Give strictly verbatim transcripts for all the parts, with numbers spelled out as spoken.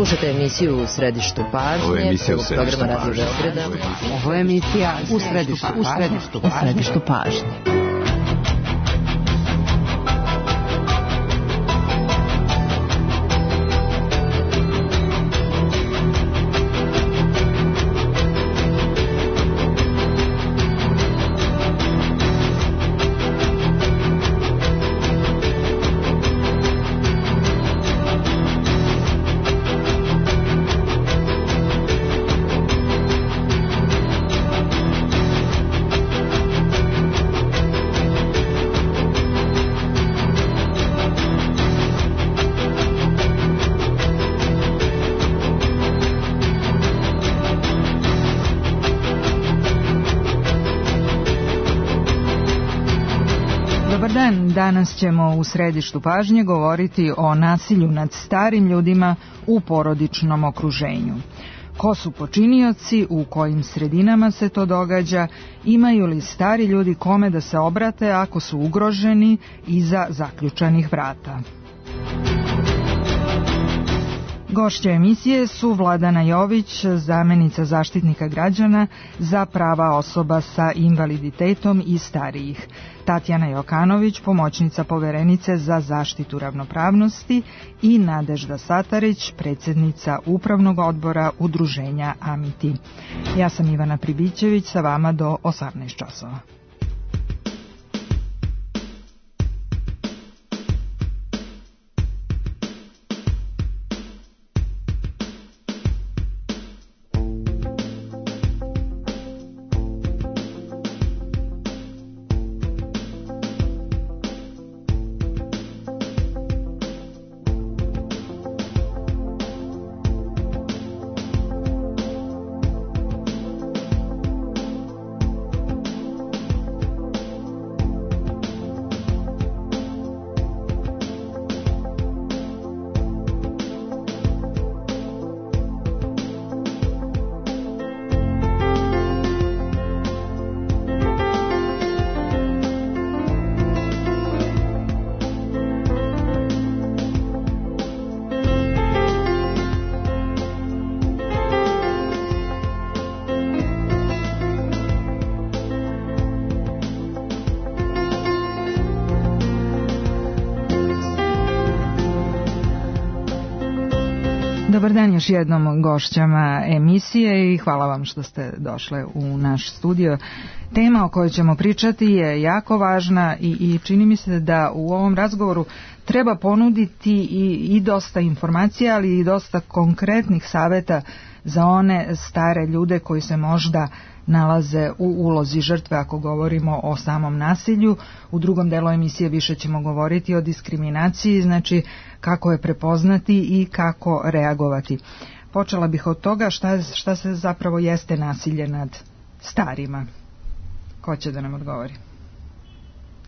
Slušajte emisiju U središtu pažnje. Ovo je emisija U središtu pažnje. Ovo je emisija U središtu pažnje. U središtu pažnje. Danas ćemo u središtu pažnje govoriti o nasilju nad starim ljudima u porodičnom okruženju. Ko su počinioci, u kojim sredinama se to događa, imaju li stari ljudi kome da se obrate ako su ugroženi iza zaključanih vrata. Gošća emisije su Vladana Jović, zamenica zaštitnika građana za prava osoba sa invaliditetom i starijih, Tatjana Jokanović, pomoćnica poverenice za zaštitu ravnopravnosti i Nadežda Satarić, predsjednica Upravnog odbora Udruženja Amiti. Ja sam Ivana Pribićević, sa vama do osamnaest časova. Dobar dan još jednom gošćama emisije i hvala vam što ste došle u naš studio. Tema o kojoj ćemo pričati je jako važna i, i čini mi se da u ovom razgovoru treba ponuditi i, i dosta informacija, ali i dosta konkretnih savjeta za one stare ljude koji se možda nalaze u ulozi žrtve ako govorimo o samom nasilju. U drugom delu emisije više ćemo govoriti o diskriminaciji, znači kako je prepoznati i kako reagovati. Počela bih od toga šta, šta se zapravo jeste nasilje nad starima. Ko će da nam odgovori?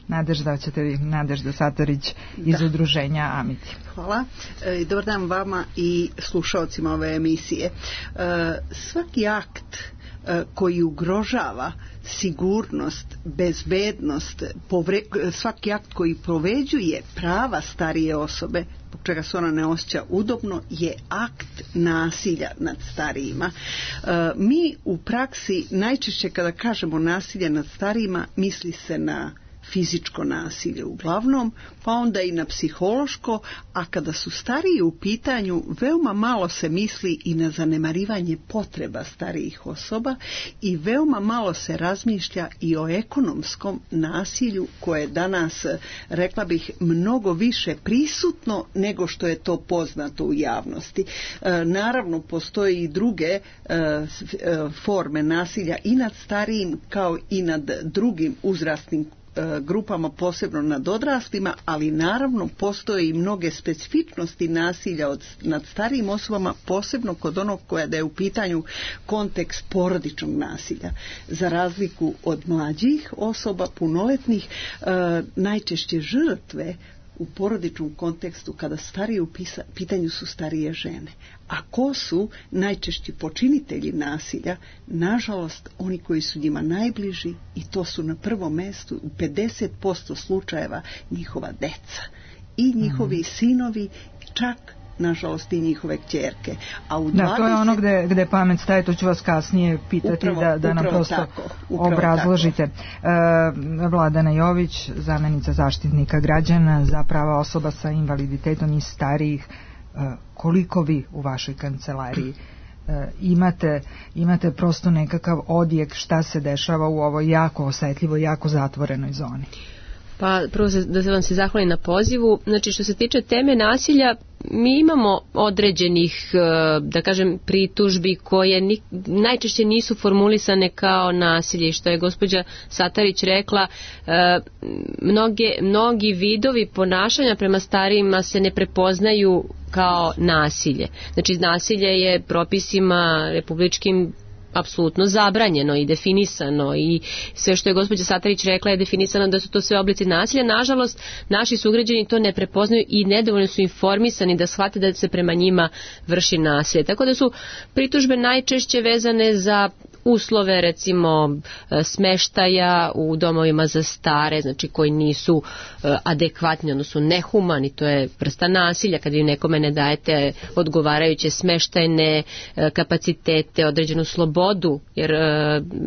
Nadežda, ćete vi, Nadežda Satarić iz da. Udruženja Amiti. Hvala. E, dobar dan vama i slušalcima ove emisije. E, svaki akt e, koji ugrožava sigurnost, bezbednost, povre, svaki akt koji povređuje prava starije osobe, zbog čega se ona ne osjeća udobno, je akt nasilja nad starijima. E, mi u praksi najčešće kada kažemo nasilje nad starijima misli se na fizičko nasilje uglavnom, pa onda i na psihološko, a kada su stariji u pitanju, veoma malo se misli i na zanemarivanje potreba starijih osoba i veoma malo se razmišlja i o ekonomskom nasilju koje je danas, rekla bih, mnogo više prisutno nego što je to poznato u javnosti. E, naravno, postoje i druge e, forme nasilja i nad starijim kao i nad drugim uzrasnim grupama, posebno nad odraslima, ali naravno postoje i mnoge specifičnosti nasilja od, nad starijim osobama, posebno kod onog koja da je u pitanju kontekst porodičnog nasilja. Za razliku od mlađih osoba, punoletnih, e, najčešće žrtve u porodičnom kontekstu kada starije u pisa, pitanju su starije žene. A ko su najčešći počinitelji nasilja? Nažalost, oni koji su njima najbliži, i to su na prvom mjestu u pedeset posto slučajeva njihova deca i njihovi mm. sinovi, čak nažalost i njihove kćerke. A u da, dvadeset... to je ono gde, gde pamet staje, to ću vas kasnije pitati upravo, da, da nam prosto tako, obrazložite. E, Vladana Jović, zamjenica zaštitnika građana za prava osoba sa invaliditetom i starijih, e, koliko vi u vašoj kancelariji e, imate, imate prosto nekakav odjek šta se dešava u ovoj jako osetljivoj, jako zatvorenoj zoni? Pa prvo da se vam se zahvalim na pozivu. Znači što se tiče teme nasilja, mi imamo određenih, da kažem, pritužbi koje ni, najčešće nisu formulisane kao nasilje. Što je gospođa Satarić rekla, mnoge, mnogi vidovi ponašanja prema starijima se ne prepoznaju kao nasilje. Znači nasilje je propisima republičkim apsolutno zabranjeno i definisano i sve što je gospođa Satarić rekla je definisano da su to sve oblici nasilja. Nažalost, naši sugrađani to ne prepoznaju i nedovoljno su informisani da shvate da se prema njima vrši nasilje. Tako da su pritužbe najčešće vezane za uslove, recimo smeštaja u domovima za stare, znači koji nisu adekvatni, odnosno nehumani, to je vrsta nasilja kad vi nekome ne dajete odgovarajuće smeštajne kapacitete, određenu slobodu, jer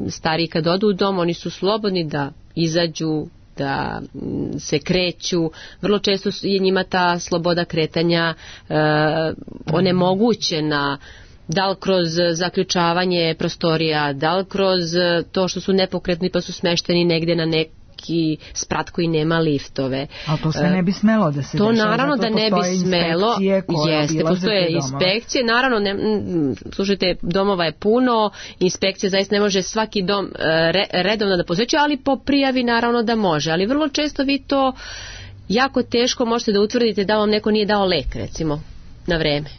stariji kad odu u dom, oni su slobodni da izađu, da se kreću, vrlo često je njima ta sloboda kretanja onemogućena, da li kroz zaključavanje prostorija, da li kroz to što su nepokretni pa su smešteni negdje na neki sprat koji nema liftove. A to se ne bi smelo da se to dešava. Naravno da ne bi smelo. Jeste, postoje inspekcije. Naravno, ne, slušajte, domova je puno, inspekcija zaista ne može svaki dom re, redovno da posvećuje, ali po prijavi naravno da može. Ali vrlo često vi to jako teško možete da utvrdite da vam neko nije dao lek, recimo, na vreme.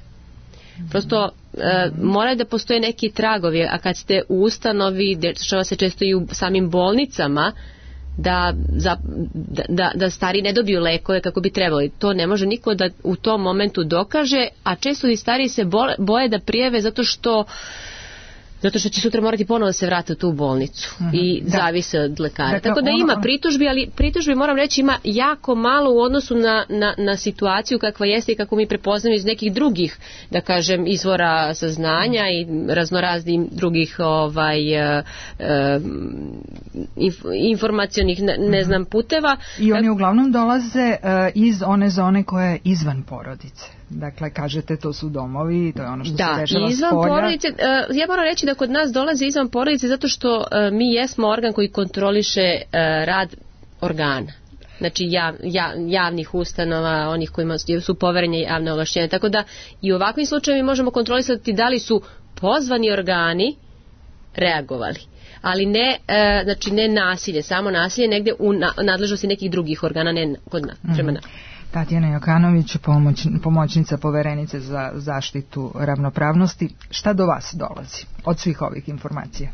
Prosto e, moraju da postoje neki tragovi, a kad ste u ustanovi, dešava se često i u samim bolnicama, da, za, da, da stari ne dobiju lekove kako bi trebali. To ne može niko da u tom momentu dokaže, a često i stari se bole, boje da prijave zato što zato što će sutra morati ponovo se vratiti u tu bolnicu uh-huh. i da. Zavise od lekara. Dakle, Tako da ono, ima pritužbi, ali pritužbi moram reći ima jako malo u odnosu na, na, na situaciju kakva jeste i kako mi prepoznamo iz nekih drugih, da kažem, izvora saznanja i raznoraznih drugih ovaj, uh, inf, informacionih ne, ne znam puteva. I oni uglavnom dolaze uh, iz one zone koja je izvan porodice. Dakle, kažete, to su domovi, to je ono što da, se dešava izvan spolja. Porodice, uh, ja moram reći da kod nas dolaze izvan porodice zato što uh, mi jesmo organ koji kontroliše uh, rad organa. Znači jav, jav, javnih ustanova, onih kojima su poverenje javne ovlašćenja. Tako da i u ovakvim slučajevima možemo kontrolisati da li su pozvani organi reagovali. Ali ne, uh, znači ne nasilje, samo nasilje negdje u na, nadležnosti nekih drugih organa, ne kod nas, mm-hmm. prema nas. Tatjana Jokanović, pomoć, pomoćnica poverenice za zaštitu ravnopravnosti. Šta do vas dolazi od svih ovih informacija?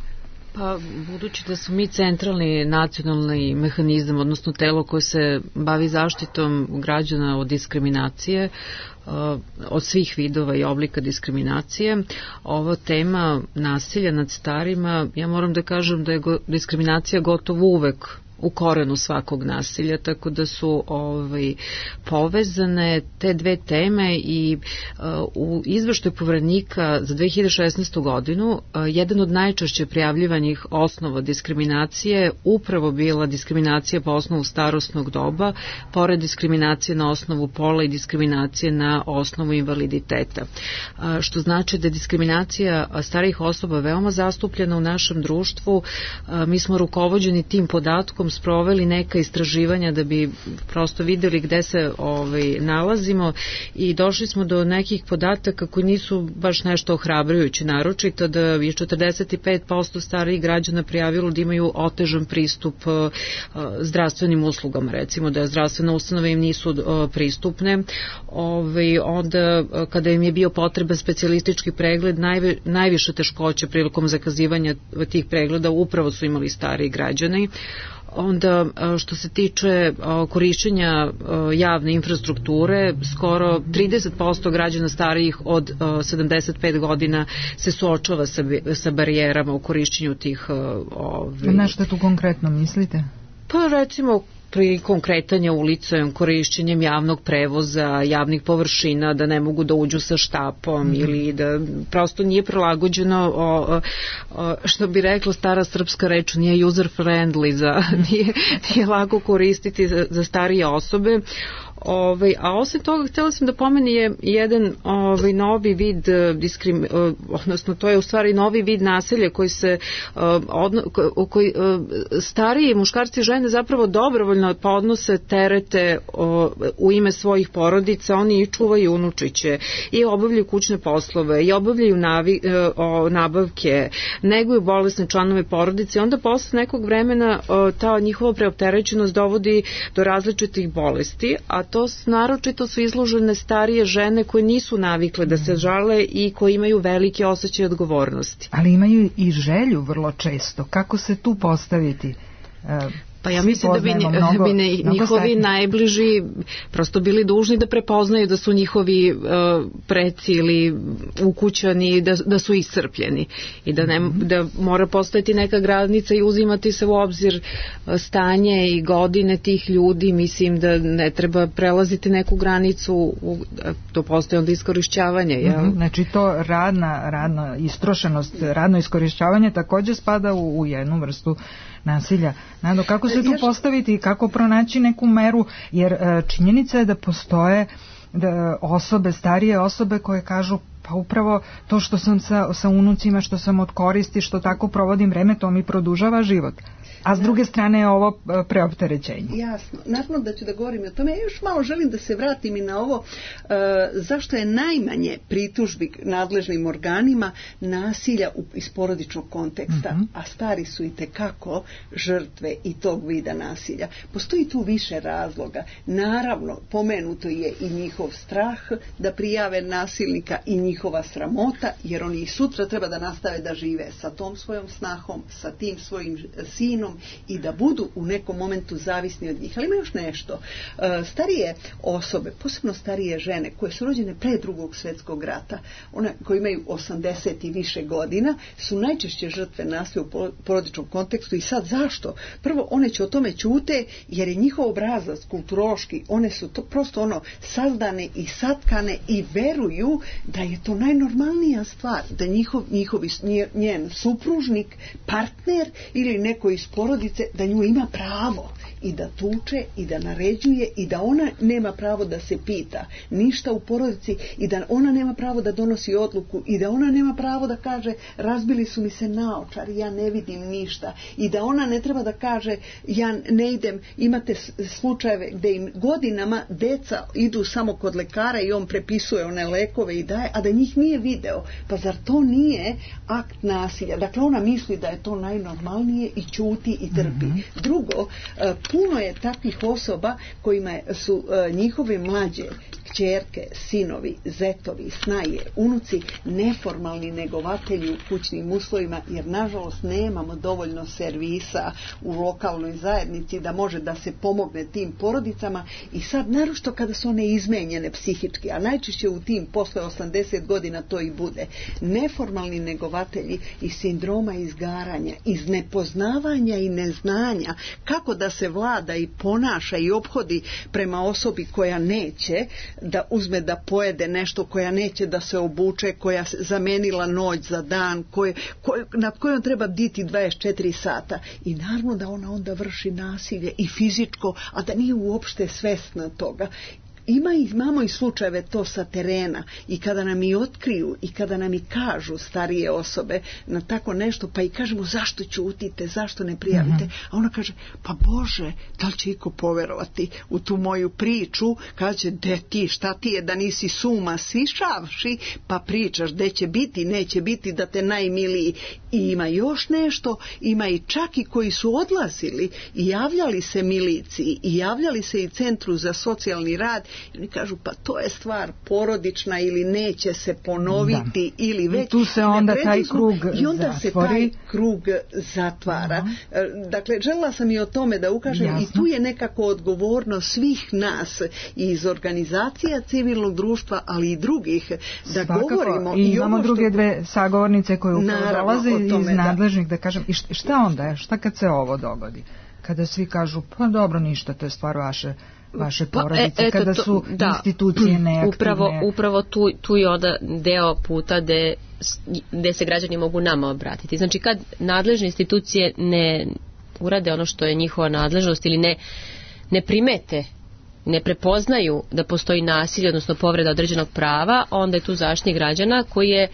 Pa, budući da su mi centralni nacionalni mehanizam, odnosno telo koje se bavi zaštitom građana od diskriminacije, od svih vidova i oblika diskriminacije, ova tema nasilja nad starima, ja moram da kažem da je go, diskriminacija gotovo uvek u korenu svakog nasilja, tako da su ovaj, povezane te dve teme i uh, u izveštaju Poverenika za dve hiljade šesnaestu godinu uh, jedan od najčešće prijavljivanih osnova diskriminacije upravo bila diskriminacija po osnovu starosnog doba, pored diskriminacije na osnovu pola i diskriminacije na osnovu invaliditeta. Uh, što znači da je diskriminacija starijih osoba veoma zastupljena u našem društvu. Uh, mi smo rukovođeni tim podatkom, sproveli neka istraživanja da bi prosto videli gde se ovaj, nalazimo i došli smo do nekih podataka koji nisu baš nešto ohrabrujući, naročito da je četrdeset pet posto starijih građana prijavilo da imaju otežan pristup uh, zdravstvenim uslugama, recimo da zdravstvene ustanove im nisu uh, pristupne. Ovaj, onda uh, kada im je bio potreban specijalistički pregled, najve, najviše teškoće prilikom zakazivanja tih pregleda upravo su imali stariji građani. Onda što se tiče korišćenja javne infrastrukture, skoro trideset posto građana starijih od sedamdeset pet godina se suočava sa, sa barijerama u korišćenju tih... Ovi... Na što tu konkretno mislite? Pa recimo prilikom kretanja ulicom, korišćenjem javnog prevoza, javnih površina, da ne mogu da uđu sa štapom mm. ili da prosto nije prilagođeno, o, o, što bi rekla stara srpska reč, nije user friendly, za, nije, nije lako koristiti za, za starije osobe. Ovaj, a osim toga htjela sam da pomeni je jedan ovaj, novi vid diskrim, odnosno to je u stvari novi vid nasilja koji se odno, koji stariji muškarci i žene zapravo dobrovoljno podnose terete u ime svojih porodica, oni i čuvaju unučiće i obavljaju kućne poslove i obavljaju navi, nabavke, neguju bolesne članove porodice i onda posle nekog vremena ta njihova preopterećenost dovodi do različitih bolesti, a to naročito su izložene starije žene koje nisu navikle da se žale i koje imaju velike osjećaje odgovornosti. Ali imaju i želju vrlo često. Kako se tu postaviti? Pa ja mislim da bi, mnogo, bi ne, njihovi stakni. najbliži prosto bili dužni da prepoznaju da su njihovi uh, preci ili ukućani, da, da su iscrpljeni i da, ne, mm-hmm. da mora postojati neka granica i uzimati se u obzir stanje i godine tih ljudi. Mislim da ne treba prelaziti neku granicu, u, to postoje onda iskorišćavanje. Jel? Mm-hmm. Znači to radna, radna istrošenost, radno iskorišćavanje također spada u, u jednu vrstu nasilja. Nado, kako se tu postaviti i kako pronaći neku meru, jer činjenica je da postoje da osobe, starije osobe koje kažu pa upravo to što sam sa, sa unucima, što sam od koristi, što tako provodim vreme, to mi produžava život. A s druge strane je ovo preopterećenje. Jasno. Naravno da ću da govorim o tome. Ja još malo želim da se vratim i na ovo uh, zašto je najmanje pritužbi nadležnim organima nasilja u, iz porodičnog konteksta, mm-hmm. a stari su i tekako žrtve i tog vida nasilja. Postoji tu više razloga. Naravno, pomenuto je i njihov strah da prijave nasilnika i njihova sramota, jer oni i sutra treba da nastave da žive sa tom svojom snahom, sa tim svojim sinom i da budu u nekom momentu zavisni od njih. Ali ima još nešto. Starije osobe, posebno starije žene koje su rođene pre drugog svjetskog rata, one koje imaju osamdeset i više godina, su najčešće žrtve nasilja u porodičnom kontekstu. I sad zašto? Prvo, one će o tome ćute jer je njihov obrazac kulturološki, one su to prosto ono sazdane i satkane i veruju da je to najnormalnija stvar, da njihov, njihovi, njen supružnik, partner ili neko iz porodice, da nju ima pravo i da tuče i da naređuje i da ona nema pravo da se pita ništa u porodici i da ona nema pravo da donosi odluku i da ona nema pravo da kaže razbili su mi se naočari, ja ne vidim ništa i da ona ne treba da kaže ja ne idem, imate slučajeve gdje im godinama deca idu samo kod lekara i on prepisuje one lekove i daje, a da njih nije video. Pa zar to nije akt nasilja? Dakle, ona misli da je to najnormalnije i ćuti i trpi. Mm-hmm. Drugo, puno je takvih osoba kojima su njihove mlađe kćerke, sinovi, zetovi, snaje, unuci neformalni negovatelji u kućnim uslovima, jer nažalost nemamo dovoljno servisa u lokalnoj zajednici da može da se pomogne tim porodicama i sad naročito kada su one izmenjene psihički, a najčešće u tim posle osamdeset godina to i bude. Neformalni negovatelji iz sindroma izgaranja, iz nepoznavanja i neznanja kako da se vlada i ponaša i ophodi prema osobi koja neće da uzme da pojede nešto, koja neće da se obuče, koja zamenila noć za dan, koje, koje, nad kojom treba bditi dvadeset četiri sata. I naravno da ona onda vrši nasilje i fizičko, a da nije uopšte svesna toga. Ima i, imamo i slučajeve to sa terena i kada nam i otkriju i kada nam i kažu starije osobe na tako nešto, pa i kažemo zašto ćutite, zašto ne prijavite, mm-hmm. a ona kaže pa Bože, da li će iko poverovati u tu moju priču, kaže de ti, šta ti je da nisi suma sišavši, pa pričaš gde će biti, neće biti da te najmiliji. I ima još nešto, ima i čak i koji su odlazili i javljali se miliciji i javljali se i Centru za socijalni rad. I oni kažu, pa to je stvar porodična ili neće se ponoviti da. Ili već. I tu se onda taj krug I onda zatvori. se taj krug zatvara. Uh-huh. Dakle, željela sam i o tome da ukažem. Jasno. I tu je nekako odgovornost svih nas iz organizacija civilnog društva, ali i drugih, da Svakako. govorimo. I, I imamo što... druge dve sagovornice koje upravo dolaze iz nadležnih, da kažem. I šta onda? Šta kad se ovo dogodi? kada svi kažu pa dobro ništa, to je stvar vaše vaše porodice, pa, e, kada to, su da, institucije neaktivne. Upravo, upravo tu, tu je onda deo puta gde, gde se građani mogu nama obratiti. Znači kad nadležne institucije ne urade ono što je njihova nadležnost ili ne, ne primete, ne prepoznaju da postoji nasilje, odnosno povreda određenog prava, onda je tu Zaštitnik građana koji je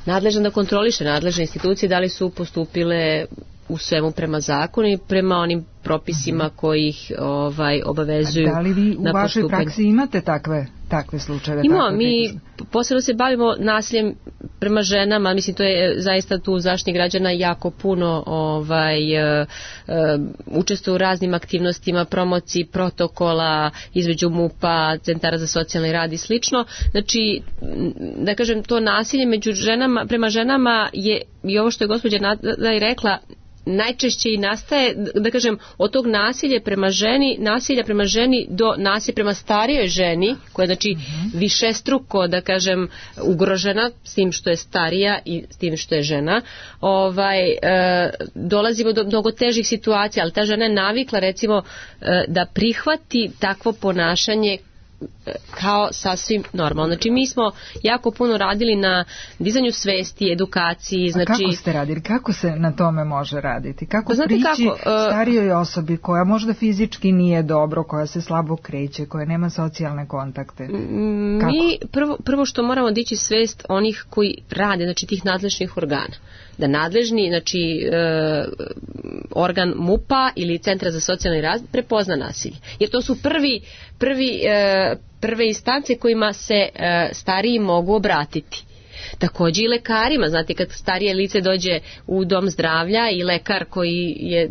nadležan da kontroliše nadležne institucije da li su postupile u svemu prema zakonu i prema onim propisima koji ih ovaj, obavezuju. A da li vi u na vašoj postupanje. praksi imate takve, takve slučajeve? Imamo, mi posebno se bavimo nasiljem prema ženama, mislim to je zaista tu Zaštitnik građana jako puno ovaj, uh, uh, učestvuje u raznim aktivnostima, promociji protokola između MUP-a, centara za socijalni rad i slično. Znači, da kažem, to nasilje među ženama, prema ženama je, i ovo što je gospođa Nada i rekla, najčešće i nastaje, da kažem, od tog nasilja prema ženi, nasilja prema ženi do nasilja prema starijoj ženi, koja je znači mm-hmm. višestruko, da kažem, ugrožena s tim što je starija i s tim što je žena, ovaj, e, dolazimo do mnogo težih situacija, ali ta žena je navikla recimo e, da prihvati takvo ponašanje kao sasvim normalno. Znači mi smo jako puno radili na dizanju svesti, edukaciji. Znači... A kako ste radili? Kako se na tome može raditi? Kako Znate prići kako, uh... starijoj osobi koja možda fizički nije dobro, koja se slabo kreće, koja nema socijalne kontakte? Kako? Mi prvo, prvo što moramo dići svest onih koji rade, znači tih nadležnih organa. Da nadležni, znači e, organ MUP-a ili Centra za socijalni rad prepozna nasilje. Jer to su prvi, prvi, e, prve instance kojima se e, stariji mogu obratiti. Takođe i lekarima, znate kad starije lice dođe u dom zdravlja i lekar koji je,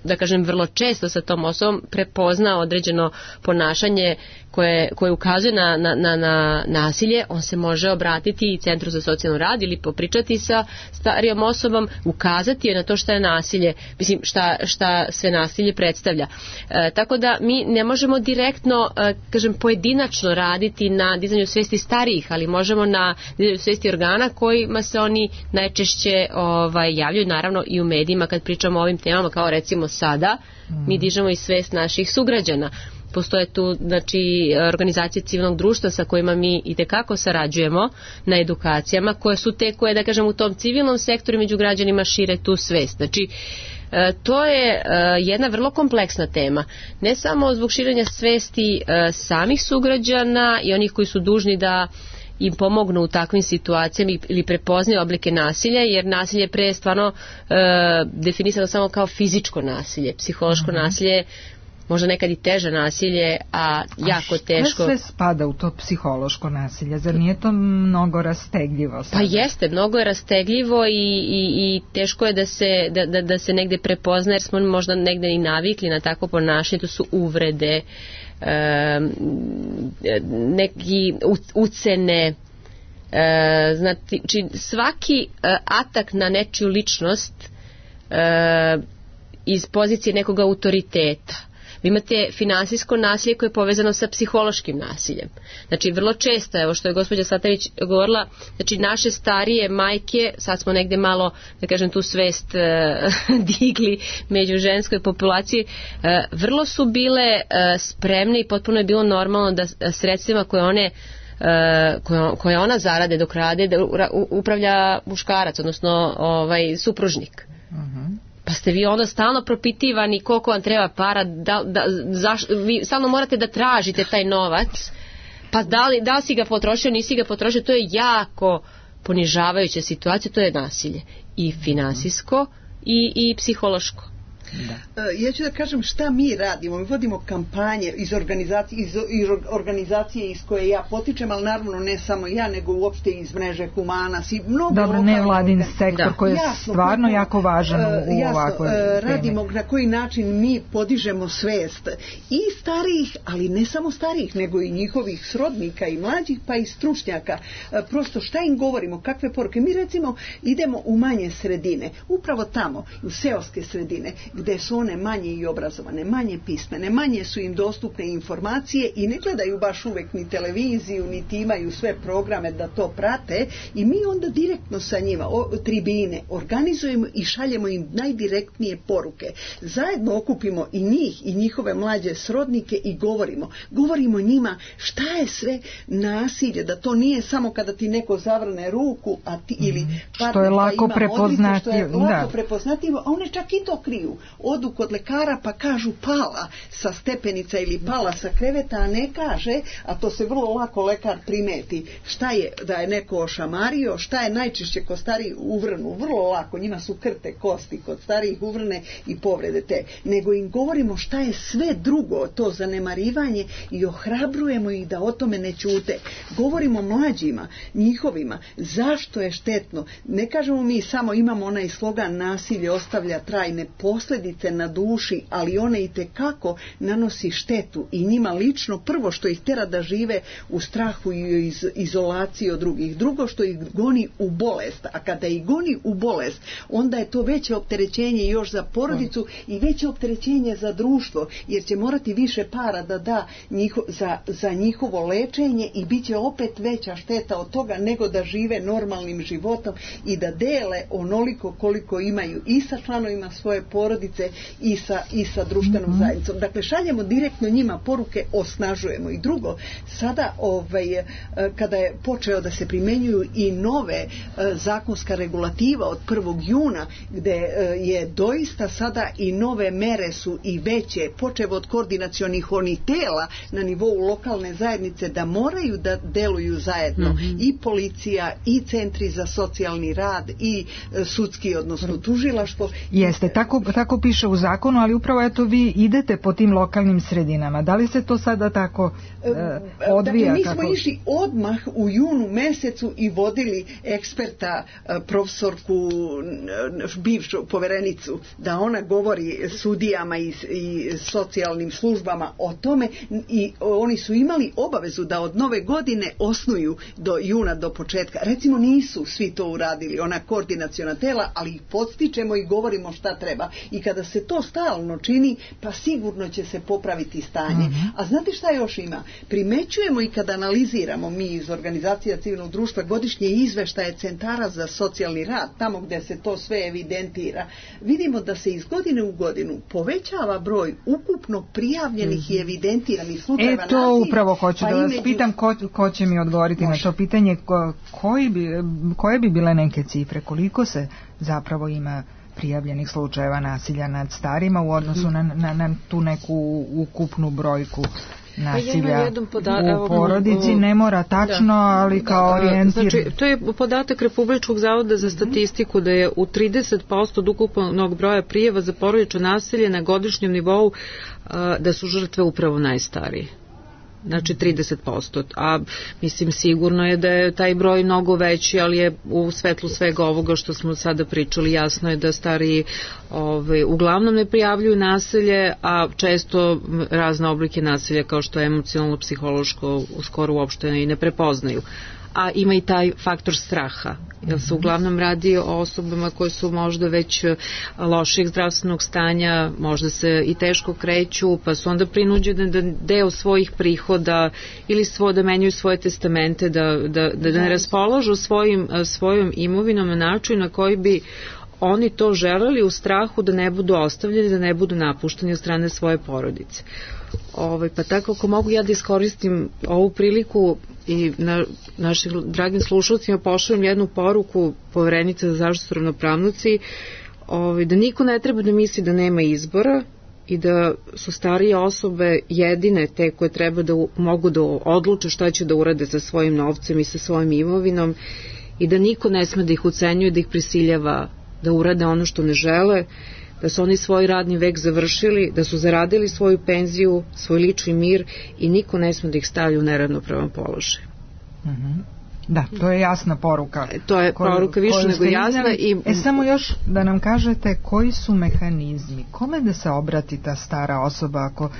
da kažem, vrlo često sa tom osobom prepozna određeno ponašanje koje, koje ukazuje na, na, na, na nasilje, on se može obratiti i Centru za socijalni rad ili popričati sa starijom osobom, ukazati je na to šta je nasilje, mislim šta, šta sve nasilje predstavlja. E, tako da mi ne možemo direktno, e, kažem, pojedinačno raditi na dizanju svesti starijih, ali možemo na dizanju svesti organa kojima se oni najčešće ovaj, javljaju, naravno i u medijima kad pričamo o ovim temama, kao recimo sada, mi dižemo i svest naših sugrađana. Postoje tu, znači, organizacije civilnog društva sa kojima mi itekako sarađujemo na edukacijama, koje su te koje, da kažem, u tom civilnom sektoru među građanima šire tu svest. Znači, to je jedna vrlo kompleksna tema. Ne samo zbog širenja svesti samih sugrađana i onih koji su dužni da im pomognu u takvim situacijama ili prepoznaju oblike nasilja, jer nasilje pre je stvarno e, definisano samo kao fizičko nasilje. Psihološko mm-hmm. nasilje možda nekad i teže nasilje, a jako a teško. Što sve spada u to psihološko nasilje? Zar nije to mnogo rastegljivo sada? Pa jeste, mnogo je rastegljivo i, i, i teško je da se, da, da, da se negde prepozna, jer smo možda negde i navikli na takvo ponašanje. To su uvrede, e, neki ucene, e, znači svaki atak na nečiju ličnost e, iz pozicije nekog autoriteta. Vi imate finansijsko nasilje koje je povezano sa psihološkim nasiljem. Znači vrlo često, evo što je gospođa Satavić govorila, znači naše starije majke, sad smo negde malo, da kažem, tu svest e, digli među ženskoj populaciji, e, vrlo su bile e, spremne i potpuno je bilo normalno da sredstvima koje one koje, koje ona zarade dok rade, da upravlja muškarac, odnosno ovaj, supružnik. Uh-huh. Pa ste vi onda stalno propitivani koliko vam treba para, da, da, zaš, vi stalno morate da tražite taj novac, pa da li, da li si ga potrošio, nisi ga potrošio, to je jako ponižavajuća situacija, to je nasilje i finansijsko i, i psihološko. Da. Ja ću da kažem šta mi radimo. Mi vodimo kampanje iz organizacije, iz, iz organizacije iz koje ja potičem, ali naravno ne samo ja, nego uopšte iz mreže Humanas i mnogo. Dobro, nevladin sektor da. koji je jasno, stvarno kako, jako važan u, u jasno, ovakvoj radimo temi. Na koji način mi podižemo svest i starijih, ali ne samo starijih, nego i njihovih srodnika i mlađih, pa i stručnjaka. Prosto šta im govorimo, kakve poruke. Mi recimo idemo u manje sredine, upravo tamo, u seoske sredine, gde su one manje i obrazovane, manje pismene, manje su im dostupne informacije i ne gledaju baš uvek ni televiziju, niti imaju sve programe da to prate i mi onda direktno sa njima, o, tribine, organizujemo i šaljemo im najdirektnije poruke. Zajedno okupimo i njih i njihove mlađe srodnike i govorimo. Govorimo njima šta je sve nasilje, da to nije samo kada ti neko zavrne ruku, a ti ili padne, što je lako prepoznatljivo, što je lako da. prepoznatljivo, a one čak i to kriju. Odu kod lekara pa kažu pala sa stepenica ili pala sa kreveta, a ne kaže, a to se vrlo lako lekar primeti, šta je da je neko ošamario, šta je najčešće kod starijih uvrnu, vrlo lako, njima su krte kosti kod starijih uvrne i povrede te, nego im govorimo šta je sve drugo, to zanemarivanje i ohrabrujemo ih da o tome ne ćute. Govorimo mlađima, njihovima, zašto je štetno. Ne kažemo mi samo, imamo onaj slogan nasilje ostavlja trajne posljedice na duši, ali one i tekako nanosi štetu i njima lično prvo što ih tera da žive u strahu i iz, izolaciji od drugih. Drugo što ih goni u bolest, a kada ih goni u bolest, onda je to veće opterećenje još za porodicu i veće opterećenje za društvo, jer će morati više para da da njiho, za, za njihovo lečenje i bit će opet veća šteta od toga nego da žive normalnim životom i da dele onoliko koliko imaju i sa članovima svoje porodice i sa, i sa društvenom zajednicom. Dakle, šaljemo direktno njima poruke, osnažujemo. I drugo, sada ovaj, kada je počeo da se primenjuju i nove zakonska regulativa od prvog juna, gde je doista sada i nove mere su i veće, počevo od koordinacionih onih tela na nivou lokalne zajednice da moraju da deluju zajedno, mm-hmm. i policija i centri za socijalni rad i sudski, odnosno tužilaštvo. Jeste, tako, tako piše u zakonu, ali upravo eto vi idete po tim lokalnim sredinama. Da li se to sada tako e, odvija? Dakle, mi smo kako... išli odmah u junu mesecu i vodili eksperta, profesorku, bivšu poverenicu, da ona govori sudijama i, i socijalnim službama o tome i oni su imali obavezu da od nove godine osnuju do juna, do početka. Recimo nisu svi to uradili, ona koordinaciona tela, ali ih podstičemo i govorimo šta treba. I kada se to stalno čini, pa sigurno će se popraviti stanje. Mm-hmm. A znate šta još ima? Primećujemo i kada analiziramo mi iz organizacija civilnog društva godišnje izveštaje centara za socijalni rad, tamo gdje se to sve evidentira, vidimo da se iz godine u godinu povećava broj ukupno prijavljenih mm-hmm. i evidentiranih slučajeva nasilja. E to nasilja, upravo hoću pa da vas imeđu... pitam ko, ko će mi odgovoriti Može. na to pitanje, ko, koji bi, koje bi bile neke cifre, koliko se zapravo ima prijavljenih slučajeva nasilja nad starima u odnosu na, na, na tu neku ukupnu brojku nasilja ja poda- u porodici, ne mora tačno, da. ali kao orijentir. Znači, to je podatak Republičkog zavoda za statistiku da je u trideset posto od ukupnog broja prijava za porodično nasilje na godišnjem nivou da su žrtve upravo najstariji. Znači trideset posto, a mislim sigurno je da je taj broj mnogo veći, ali je u svetlu svega ovoga što smo sada pričali jasno je da stariji ove, uglavnom ne prijavljuju nasilje, a često razne oblike nasilja kao što je emocionalno, psihološko skoro uopšte i ne prepoznaju. A ima i taj faktor straha, jer se uglavnom radi o osobama koje su možda već lošijeg zdravstvenog stanja, možda se i teško kreću, pa su onda prinuđene da deo svojih prihoda ili svo, da menjaju svoje testamente, da, da, da, da ne raspolažu svojim, svojom imovinom na način na koji bi oni to želeli u strahu da ne budu ostavljeni, da ne budu napušteni od strane svoje porodice. Ove, pa tako ako mogu ja da iskoristim ovu priliku i na našim dragim slušalcima pošaljem jednu poruku Poverenice za zaštitu ravnopravnosti, ove, da niko ne treba da misli da nema izbora i da su starije osobe jedine te koje treba da mogu da odluče šta će da urade sa svojim novcem i sa svojim imovinom i da niko ne sme da ih ucenjuje, da ih prisiljava da urade ono što ne žele, da su oni svoj radni vek završili, da su zaradili svoju penziju, svoj lični mir i niko ne sme da ih stavlja u neravnopravan položaj. Mm-hmm. Da, to je jasna poruka. To je koju, poruka više nego jasna. I... E samo još da nam kažete koji su mehanizmi, kome da se obrati ta stara osoba ako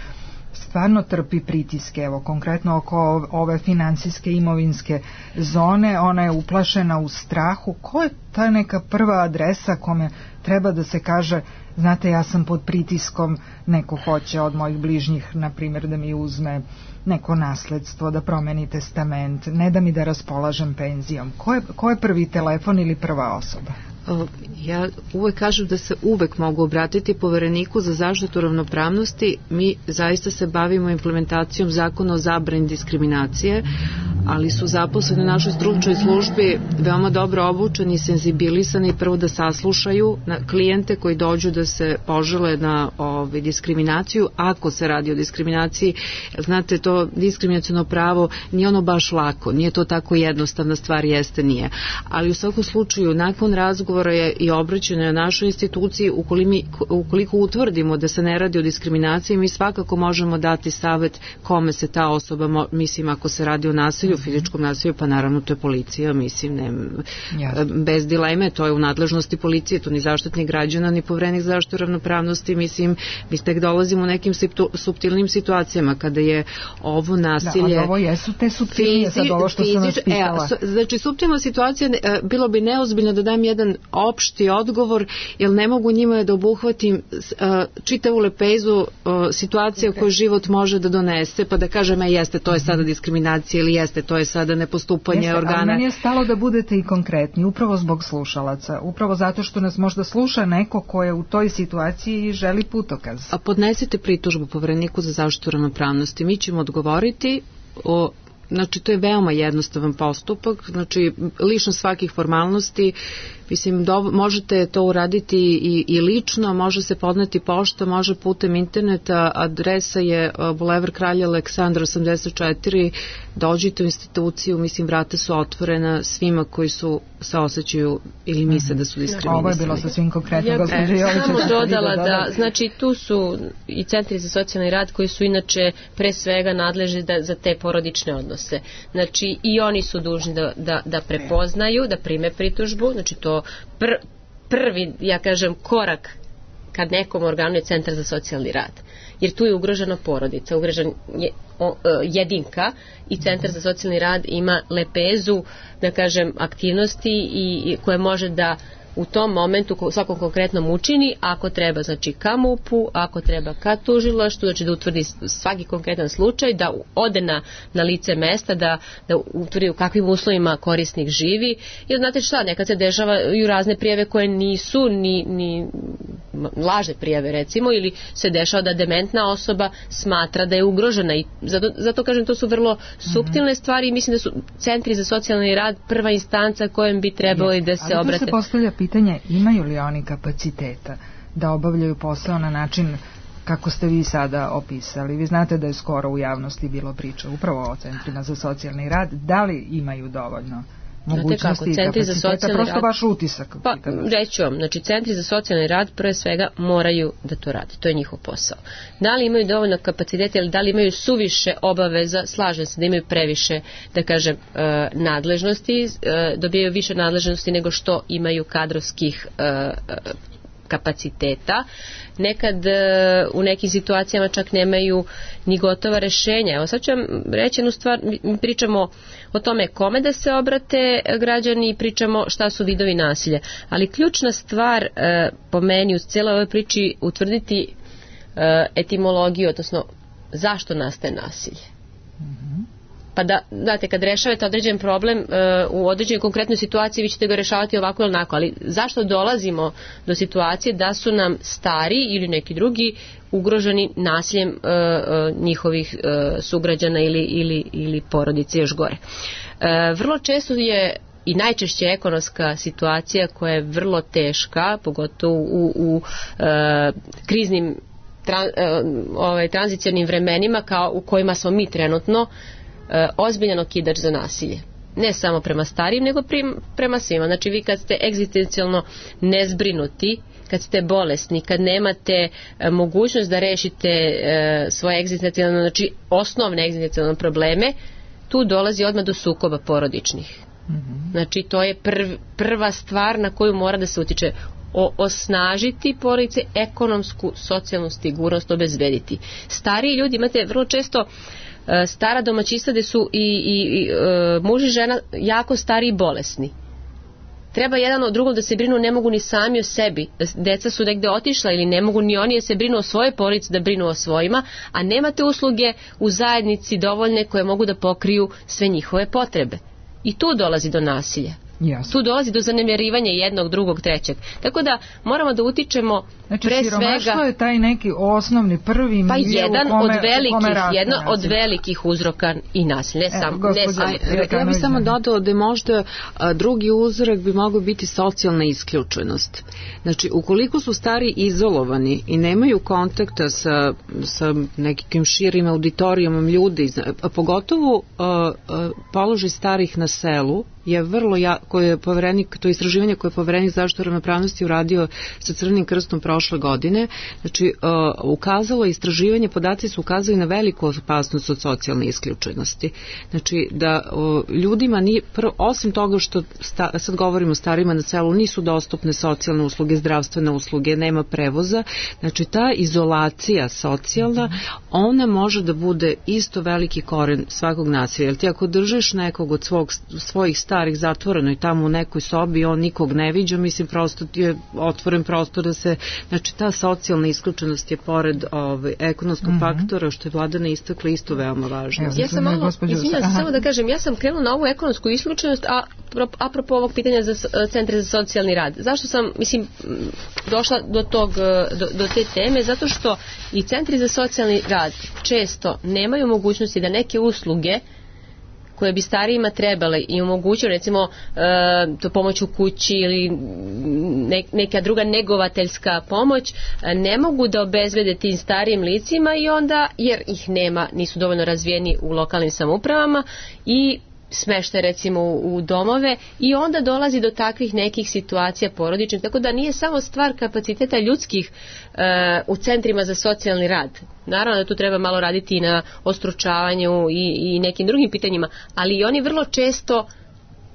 stvarno trpi pritiske, evo konkretno oko ove financijske imovinske zone, ona je uplašena u strahu. Ko je ta neka prva adresa kome treba da se kaže, znate, ja sam pod pritiskom, neko hoće od mojih bližnjih, na primjer, da mi uzme neko nasledstvo, da promeni testament, ne da mi da raspolažem penzijom. Ko je, ko je prvi telefon ili prva osoba? Ja uvek kažem da se uvek mogu obratiti Povereniku za zaštitu ravnopravnosti. Mi zaista se bavimo implementacijom zakona o zabrani diskriminacije, ali su zaposleni u našoj stručnoj službi veoma dobro obučeni i senzibilisani prvo da saslušaju na klijente koji dođu da se požele na ovaj, diskriminaciju. Ako se radi o diskriminaciji, znate, to diskriminaciono pravo nije ono baš lako, nije to tako jednostavna stvar, jeste nije. Ali u svakom slučaju, nakon razgovora je i obraćeno na našoj instituciji, ukoliko, ukoliko utvrdimo da se ne radi o diskriminaciji, mi svakako možemo dati savet kome se ta osoba, mislim, ako se radi o nasilju, fizičkom nasilju, pa naravno to je policija, mislim, ne, bez dileme, to je u nadležnosti policije, to ni Zaštitnik građana, ni Poverenik za zaštitu ravnopravnosti, mislim, mi tek dolazimo u nekim suptilnim situacijama kada je ovo nasilje... Da, ovo jesu te suptilnije, sad ovo što sam vas pitala. E, znači, suptilna situacija, bilo bi neozbiljno da dam jedan opšti odgovor, jer ne mogu njima da obuhvatim uh, čitavu lepezu uh, situacija okay. koju život može da donese, pa da kažem, e, jeste, to je sada diskriminacija ili jeste, to je sada nepostupanje jeste, organa. Ali meni je stalo da budete i konkretni, upravo zbog slušalaca, upravo zato što nas možda sluša neko ko je u toj situaciji i želi putokaz. A podnesite pritužbu Povereniku za zaštitu ravnopravnosti, mi ćemo odgovoriti o... Znači, to je veoma jednostavan postupak, znači, lišno svakih formalnosti, mislim, do, možete to uraditi i, i lično, može se podneti pošta, može putem interneta, adresa je Bulevar Kralja Aleksandra osamdeset četiri, dođite u instituciju, mislim, vrata su otvorena svima koji su se osjećaju ili misle da su diskriminisani. Ovo je bilo sasvim konkretno. Ja bih samo dodala da, znači, tu su i centri za socijalni rad koji su inače pre svega nadležni da, za te porodične odnose. Znači, i oni su dužni da, da, da prepoznaju, da prime pritužbu, znači to pr, prvi, ja kažem, korak kad nekom organu je centar za socijalni rad. Jer tu je ugrožena porodica, ugrožen je o, jedinka i centar za socijalni rad ima lepezu, da kažem, aktivnosti i, i koje može da u tom momentu u svakom konkretnom učini, ako treba, znači, ka MUP-u, ako treba ka tužilaštvu, znači da utvrdi svaki konkretan slučaj, da ode na, na lice mesta, da, da utvrdi u kakvim uslovima korisnik živi. Jer znate šta, nekad se dešavaju razne prijave koje nisu ni, ni lažne prijave, recimo, ili se dešava da dementna osoba smatra da je ugrožena i zato, zato kažem, to su vrlo suptilne stvari i mislim da su centri za socijalni rad prva instanca kojem bi trebalo i da se obrate. Ali tu se postavlja pitanje, imaju li oni kapaciteta da obavljaju posao na način kako ste vi sada opisali? Vi znate da je skoro u javnosti bilo priča upravo o centrima za socijalni rad. Da li imaju dovoljno mogućnosti i kapaciteta? Prosto rad, vaš utisak. Pa, reću vam, znači centri za socijalni rad prve svega moraju da to rade. To je njihov posao. Da li imaju dovoljno kapaciteta ili da li imaju suviše obaveza, slažem se da imaju previše, da kažem, nadležnosti, dobijaju više nadležnosti nego što imaju kadrovskih kapaciteta. Nekad u nekim situacijama čak nemaju ni gotova rešenja. Evo sad ću vam reći jednu stvar, mi pričamo o tome kome da se obrate građani i pričamo šta su vidovi nasilja. Ali ključna stvar po meni u cijeloj ovoj priči utvrditi etimologiju, odnosno zašto nastaje nasilje. Mm-hmm. Pa da, znate, kad rešavate određen problem uh, u određenoj konkretnoj situaciji, vi ćete ga rešavati ovako ili onako, ali zašto dolazimo do situacije da su nam stari ili neki drugi ugroženi nasiljem uh, uh, njihovih uh, sugrađana ili, ili, ili porodice, još gore. Uh, vrlo često je i najčešće ekonomska situacija koja je vrlo teška, pogotovo u, u uh, kriznim tran, uh, ovaj, tranzicionim vremenima kao u kojima smo mi trenutno, ozbiljan okidač za nasilje. Ne samo prema starijim, nego prema svima. Znači, vi kad ste egzistencijalno nezbrinuti, kad ste bolesni, kad nemate mogućnost da rešite svoje egzistencijalne, znači osnovne egzistencijalne probleme, tu dolazi odmah do sukoba porodičnih. Mm-hmm. Znači, to je prv, prva stvar na koju mora da se utiče. o, osnažiti porodice, ekonomsku, socijalnu sigurnost obezbediti. Stariji ljudi, imate vrlo često e, stara domaćistva gde su i, i, i e, muž i žena jako stari i bolesni. Treba jedan od drugog da se brinu, ne mogu ni sami o sebi. Deca su negde otišla ili ne mogu ni oni da se brinu o svojoj porodici, da brinu o svojima, a nemate usluge u zajednici dovoljne koje mogu da pokriju sve njihove potrebe. I tu dolazi do nasilja. Jasno. Tu dolazi do zanemarivanja jednog, drugog, trećeg. Tako da moramo da utičemo znači, pre svega... Znači siromaštvo je taj neki osnovni prvi pa milje jedan u kome, od velikih, u kome raste jedno nasilje. od velikih uzroka i nasilja. Ne samo, Evo, ne samo. A, ja bih samo dodao da je možda a, drugi uzrok bi mogao biti socijalna isključenost. Znači, ukoliko su stari izolovani i nemaju kontakta sa, sa nekim širim auditorijumom ljudi, a pogotovo a, a, položaj starih na selu, je vrlo ja, koje je poverenik, to istraživanje koje je poverenik zaštitu ravnopravnosti uradio sa Crvenim krstom prošle godine, znači uh, ukazalo istraživanje, podaci su ukazali na veliku opasnost od socijalne isključenosti. Znači da uh, ljudima nije, prvo, osim toga što sta, sad govorimo o starima na selu, nisu dostupne socijalne usluge, zdravstvene usluge, nema prevoza, znači ta izolacija socijalna, ona može da bude isto veliki koren svakog nasilja. Jer ti ako držiš nekog od svog, svojih starih zatvoreno i tamo u nekoj sobi, on nikog ne viđa, mislim prosto je otvoren prostor da se, znači ta socijalna isključenost je pored ovaj, ekonomskog mm-hmm. faktora što je Vladana istakla isto veoma važno. Evo, ja sam malo, izvinjam se samo da kažem, ja sam krenula na ovu ekonomsku isključenost, a apropo ovog pitanja za centre za socijalni rad. Zašto sam, mislim, došla do tog, do, do te teme? Zato što i centri za socijalni rad često nemaju mogućnosti da neke usluge koje bi starijima trebale i omogućio recimo e, to pomoć u kući ili ne, neka druga negovateljska pomoć, e, ne mogu da obezbede tim starijim licima i onda, jer ih nema, nisu dovoljno razvijeni u lokalnim samoupravama i smeštaj recimo u domove i onda dolazi do takvih nekih situacija porodičnih, tako da nije samo stvar kapaciteta ljudskih e, u centrima za socijalni rad. Naravno da tu treba malo raditi i na ostručavanju i, i nekim drugim pitanjima, ali i oni vrlo često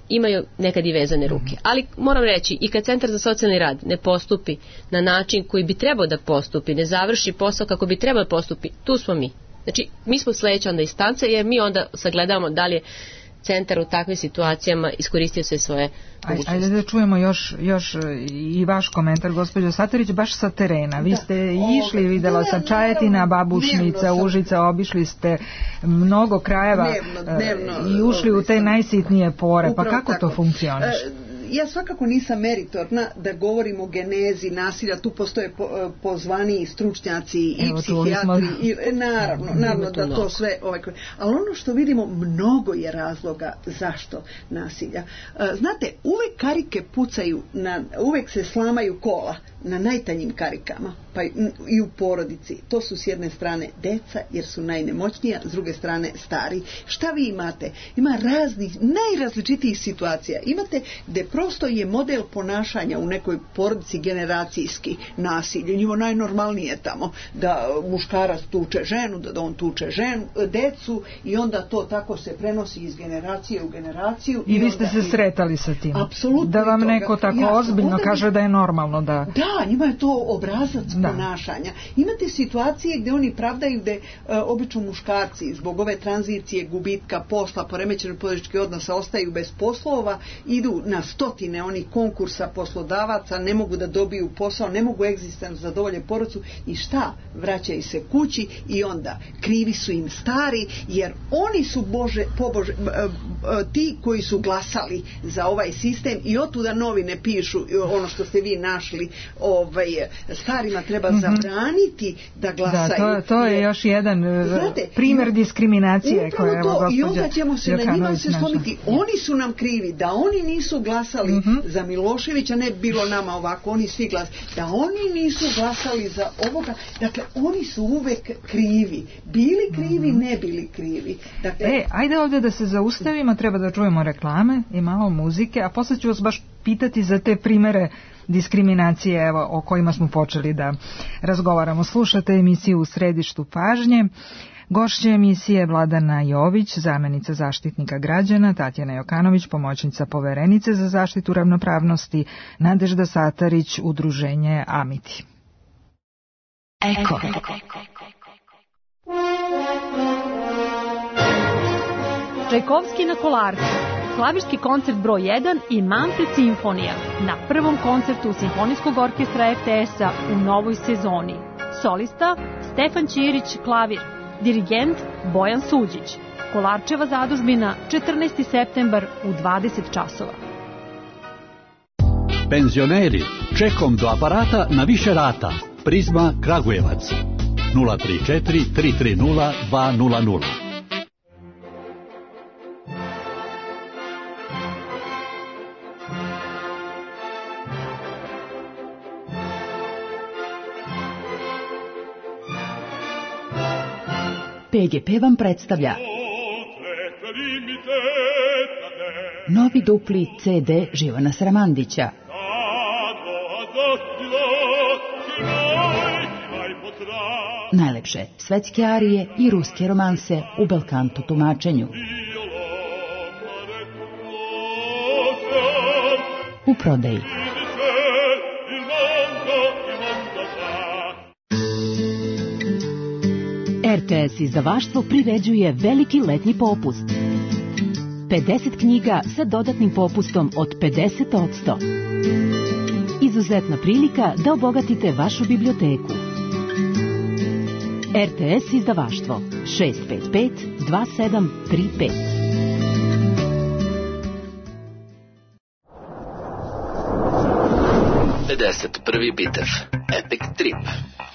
imaju nekad i vezane ruke. Ali moram reći, i kad Centar za socijalni rad ne postupi na način koji bi trebao da postupi, ne završi posao kako bi trebao da postupi, tu smo mi. Znači, mi smo sledeća onda instanca, jer mi onda sagledamo da li je centar u takvim situacijama iskoristio sve svoje mogućnosti. Ajde da čujemo još, još i vaš komentar, gospođo Satarić, baš sa terena. Vi ste da, išli, ove, videla sam Čajetina, Babušnica, Užica, obišli ste mnogo krajeva dnevno, dnevno, i ušli ove, u te najsitnije pore. Pa kako tako. To funkcioniše? Ja svakako nisam meritorna da govorim o genezi nasilja, tu postoje po, pozvani stručnjaci i Evo, psihijatri i naravno, naravno da to sve ovaj, ali ono što vidimo, mnogo je razloga zašto nasilja. Znate, uvek karike pucaju na, uvek se slamaju kola na najtanjim karikama, pa i u porodici. To su s jedne strane deca, jer su najnemoćnija, s druge strane stari. Šta vi imate? Ima raznih, najrazličitijih situacija. Imate gde prosto je model ponašanja u nekoj porodici generacijski nasilje. Njima najnormalnije tamo da muškarac tuče ženu, da on tuče ženu, decu i onda to tako se prenosi iz generacije u generaciju. I, I vi ste se sretali sa tim? Apsolutno. Da vam neko tako jasno, ozbiljno kaže da je normalno da... Da, njima je to obrazac da. Ponašanja. Imate situacije gde oni pravdaju gde e, obično muškarci zbog ove tranzicije, gubitka posla, poremećenog porodičkih odnosa ostaju bez poslova, idu na stotine onih konkursa poslodavaca, ne mogu da dobiju posao, ne mogu egzistencijalno zadovolje porodicu i šta? Vraćaju se kući i onda krivi su im stari, jer oni su Bože, pobože, e, e, ti koji su glasali za ovaj sistem i otuda novine pišu ono što ste vi našli, ovaj, starima treba mm-hmm. zabraniti da glasaju. Da, to, to je još jedan znate, primjer diskriminacije koja je to, i onda ćemo se Jokanović na njima se slomiti. Oni su nam krivi, da oni nisu glasali mm-hmm. za Miloševića, ne bilo nama ovako, oni svi glasali, da oni nisu glasali za ovoga, dakle, oni su uvek krivi. Bili krivi, mm-hmm. ne bili krivi. Dakle, e, ajde ovdje da se zaustavimo, treba da čujemo reklame i malo muzike, a posle ću vas baš pitati za te primere diskriminacije, evo, o kojima smo počeli da razgovaramo. Slušate emisiju U središtu pažnje. Gošće emisije Vladana Jović, zamenica zaštitnika građana, Tatjana Jokanović, pomoćnica poverenice za zaštitu ravnopravnosti, Nadežda Satarić, udruženje Amiti. Eko. Čajkovski na Kolarcu, klavirski koncert broj jedan i Manfred simfonija na prvom koncertu Simfonijskog orkestra er te es-a u novoj sezoni. Solista Stefan Ćirić, klavir, dirigent Bojan Suđić. Kolarčeva zadužbina, četrnaesti septembar u dvadeset časova. Penzioneri, čekom do aparata na više rata. Prizma Kragujevac nula tri četiri tri tri nula dva nula nula. pe ge pe vam predstavlja novi dupli ce de Živana Sramandića. Najlepše svetske arije i ruske romanse u belkanto tumačenju. U prodaji. er te es izdavaštvo priređuje veliki letnji popust. pedeset knjiga sa dodatnim popustom od pedeset posto. Izuzetna prilika da obogatite vašu biblioteku. er te es izdavaštvo šest pet pet dva sedam tri pet. pedeset prvi bitev Epic Trip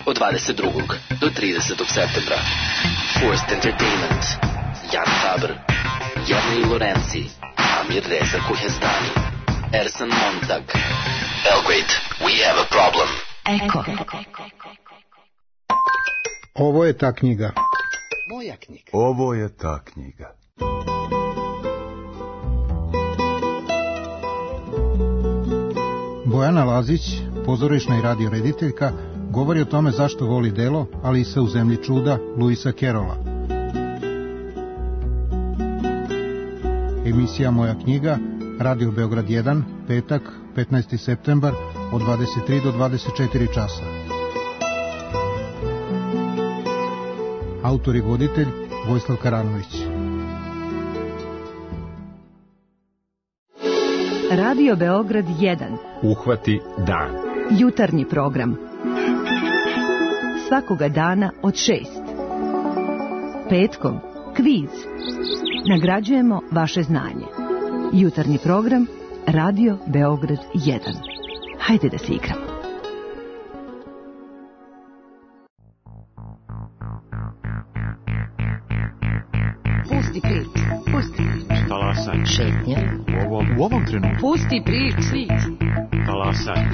od dvadeset drugog do tridesetog septembra. Forced Entertainment, Jan Faber, Jernej Lorenzi, Amir Reza Kuhestani, Ersan Montag. Belgrade, we have a problem. Eko. Ovo je ta knjiga. Moja knjiga. Ovo je ta knjiga. Bojana Lazić, pozorišna i radio rediteljka, govori o tome zašto voli delo Alisa u zemlji čuda Luisa Kerola. Emisija Moja knjiga, Radio Beograd jedan, petak, petnaesti septembar, od dvadeset tri do dvadeset četiri časa. Autor i voditelj Vojislav Karanović. Radio Beograd jedan. Uhvati dan. Jutarnji program. Svakoga dana od šest. Petkom kviz. Nagrađujemo vaše znanje. Jutarnji program Radio Beograd jedan. Hajde da se igramo. Pusti prič, pusti prič. Talasaj. Šetnja. U ovom, u ovom trenutku. Pusti prič, prič. Talasaj.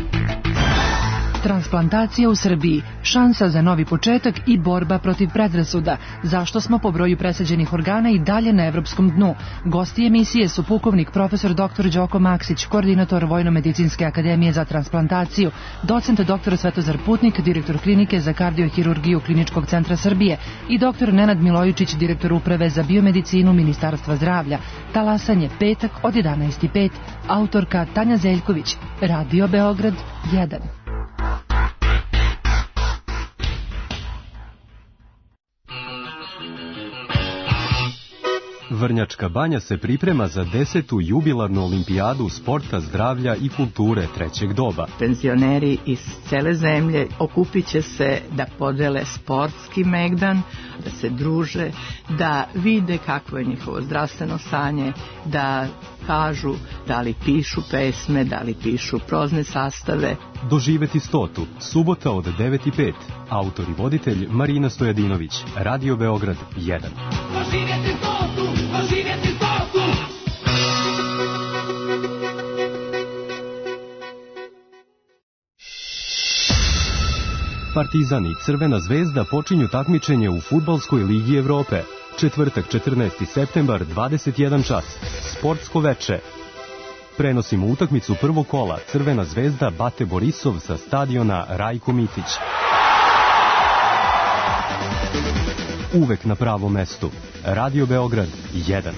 Transplantacija u Srbiji, šansa za novi početak i borba protiv predrasuda. Zašto smo po broju presađenih organa i dalje na evropskom dnu? Gosti emisije su pukovnik profesor doktor Đoko Maksić, koordinator Vojno-medicinske akademije za transplantaciju, docent doktor Svetozar Putnik, direktor klinike za kardiohirurgiju Kliničkog centra Srbije i doktor Nenad Milojičić, direktor uprave za biomedicinu Ministarstva zdravlja. Talasanje petak od jedanaest i pet, autorka Tanja Zeljković, Radio Beograd jedan. Vrnjačka banja se priprema za desetu jubilarnu olimpijadu sporta, zdravlja i kulture trećeg doba. Penzioneri iz cele zemlje okupit će se da podele sportski megdan, da se druže, da vide kakvo je njihovo zdravstveno stanje, da kažu da li pišu pesme, da li pišu prozne sastave. Doživeti stotu, subota od devet i pet. Autor i voditelj Marina Stojadinović, Radio Beograd jedan. Doživjeti stotu, doživjeti stotu! Partizan i Crvena zvezda počinju takmičenje u Fudbalskoj ligi Evrope. Četvrtak, četrnaesti septembar, dvadeset jedan čas. Sportsko veče. Prenosimo utakmicu prvog kola Crvena zvezda Bate Borisov sa stadiona Rajko Mitić. uvek na pravom mestu. Radio Beograd jedan.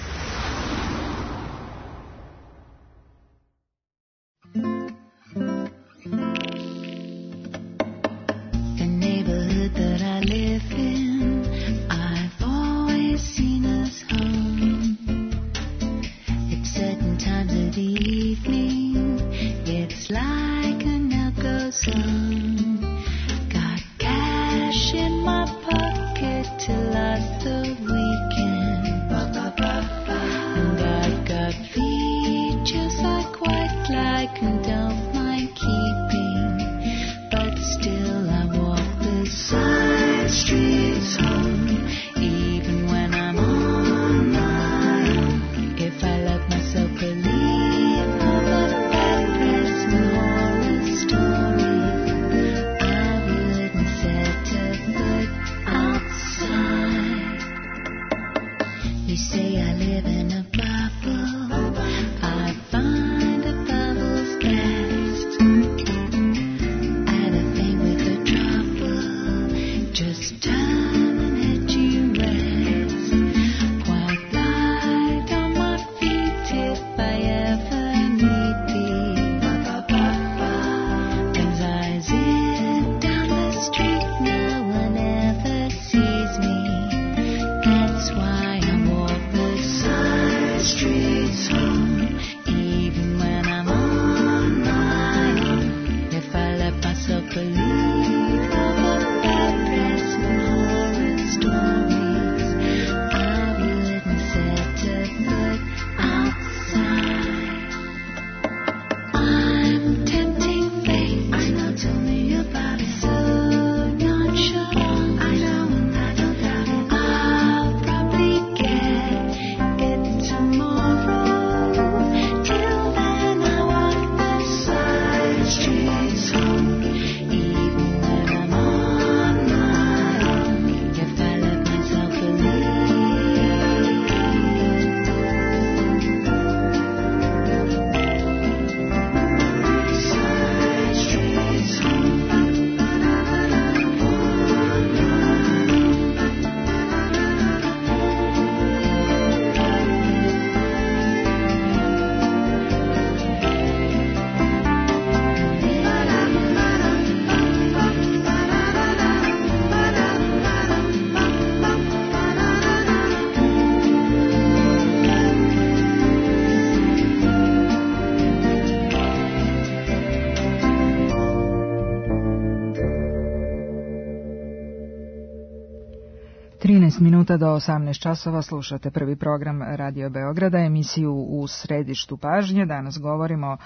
trinaest minuta do osamnaest časova slušate prvi program Radio Beograda, emisiju U središtu pažnje. Danas govorimo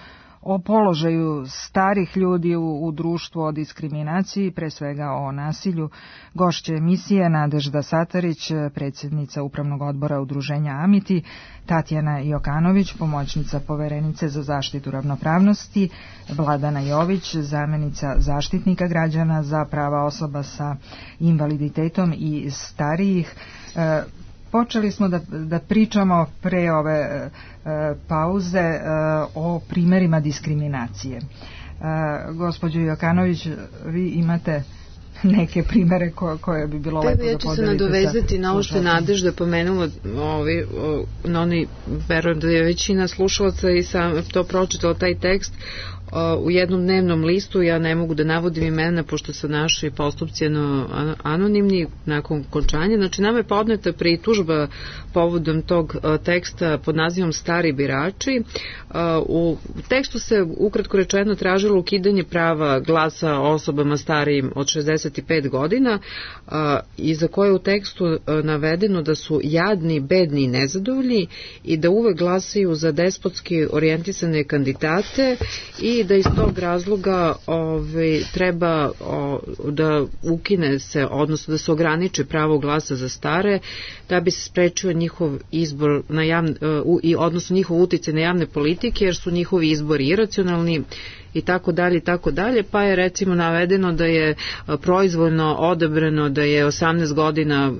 o položaju starih ljudi u, u društvu, o diskriminaciji, pre svega o nasilju. Gošće emisije Nadežda Satarić, predsjednica Upravnog odbora Udruženja Amiti, Tatjana Jokanović, pomoćnica poverenice za zaštitu ravnopravnosti, Vladana Jović, zamenica zaštitnika građana za prava osoba sa invaliditetom i starijih. E, Počeli smo da, da pričamo pre ove e, pauze e, o primerima diskriminacije. E, gospođo Jokanović, vi imate neke primere ko, koje bi bilo lepo da podelite. Ja ću se nadovezati na ovo što je Nadežda pomenula, ovi, o, na oni, verujem da je većina slušalaca i sam to pročitala taj tekst u jednom dnevnom listu. Ja ne mogu da navodim imena pošto su naši postupci anonimni nakon končanja. Znači, nama je podneta pritužba povodom tog teksta pod nazivom Stari birači. U tekstu se ukratko rečeno tražilo ukidanje prava glasa osobama starijim od šezdeset pet godina i za koje je u tekstu navedeno da su jadni, bedni i nezadovoljni i da uvek glasaju za despotski orijentisane kandidate i da iz tog razloga ove, treba o, da ukine se, odnosno da se ograniči pravo glasa za stare, da bi se sprečio njihov izbor na javne, uh, odnosno njihov uticaj na javne politike, jer su njihovi izbori iracionalni i tako dalje i tako dalje, pa je recimo navedeno da je proizvoljno odabrano da je osamnaest godina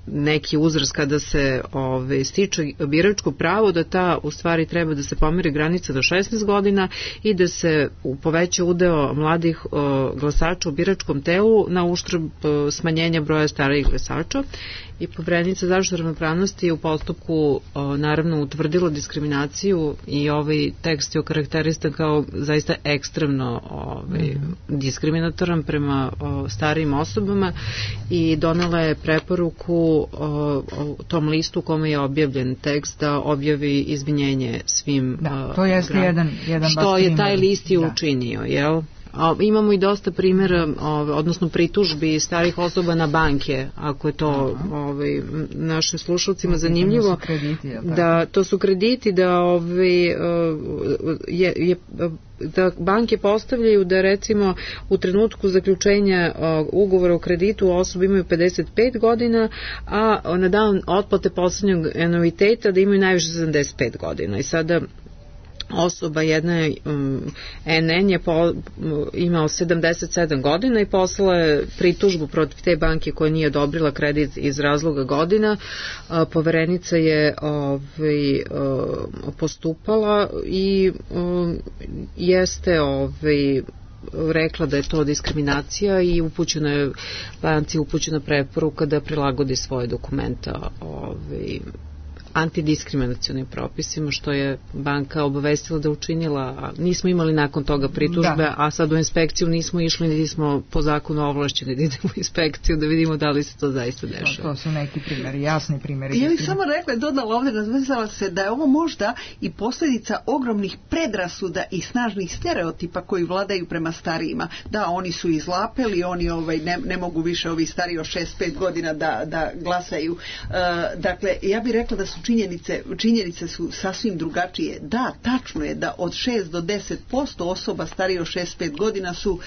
neki uzrast kada se ove, stiče biračko pravo, da ta u stvari treba da se pomeri granica do šesnaest godina i da se poveća udeo mladih glasača u biračkom telu na uštrb smanjenja broja starijih glasača. I Poverenica za zaštitu ravnopravnosti je u postupku o, naravno utvrdilo diskriminaciju i ovaj tekst je okarakterisan kao zaista ekstremno ovaj, mm-hmm. diskriminatoran prema o, starijim osobama i donela je preporuku o, o tom listu u kome je objavljen tekst da objavi izvinjenje svim da, to jeste gra... jedan, jedan što je taj list i učinio, jel? A, imamo i dosta primjera, odnosno pritužbi starih osoba na banke, ako je to ovaj, našim slušalcima zanimljivo. Krediti, da, to su krediti da, ovaj, je, je, da banke postavljaju da recimo u trenutku zaključenja ugovora o kreditu osobe imaju pedeset pet godina, a na dan otplate poslednjeg anuiteta da imaju najviše sedamdeset pet godina. I sada osoba jedna um, N N je po, imao sedamdeset sedam godina i poslala je pritužbu protiv te banke koja nije odobrila kredit iz razloga godina. Uh, Poverenica je ovaj, uh, postupala i um, jeste ovaj, rekla da je to diskriminacija i upućena je banci upućena preporuka da prilagodi svoje dokumenta ovaj, antidiskriminacionim propisima, što je banka obavestila da učinila, a nismo imali nakon toga pritužbe, da. A sad u inspekciju nismo išli, niti smo po zakonu ovlašćeni da idemo u inspekciju da vidimo da li se to zaista dešava. To su neki primjeri, jasni primjeri. Ja bih samo rekla, dodala ovdje, razvezala se da je ovo možda i posljedica ogromnih predrasuda i snažnih stereotipa koji vladaju prema starijima. Da, oni su izlapeli, oni ovaj, ne, ne mogu više ovi stariji od šest pet godina da, da glasaju. Uh, dakle, ja bih rekla da su Činjenice, činjenice su sasvim drugačije. Da, tačno je da od šest do deset posto osoba starije od šest pet godina su, uh,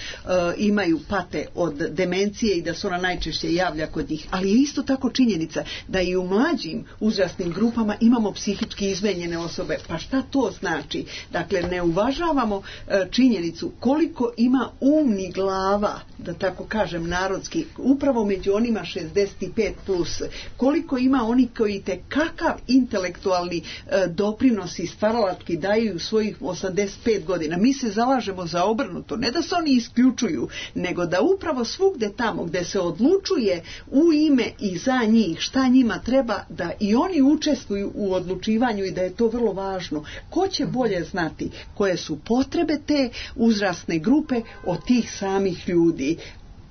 imaju pate od demencije i da se ona najčešće javlja kod njih. Ali je isto tako činjenica da i u mlađim uzrasnim grupama imamo psihički izmenjene osobe. Pa šta to znači? Dakle, ne uvažavamo uh, činjenicu koliko ima umnih glava, da tako kažem narodski, upravo među onima šezdeset pet plus. Koliko ima oni koji te kakav intelektualni e, doprinos i stvaralački daju svojih osamdeset pet godina. Mi se zalažemo za obrnuto. Ne da se oni isključuju, nego da upravo svugde tamo gde se odlučuje u ime i za njih šta njima treba, da i oni učestvuju u odlučivanju i da je to vrlo važno. Ko će bolje znati koje su potrebe te uzrasne grupe od tih samih ljudi?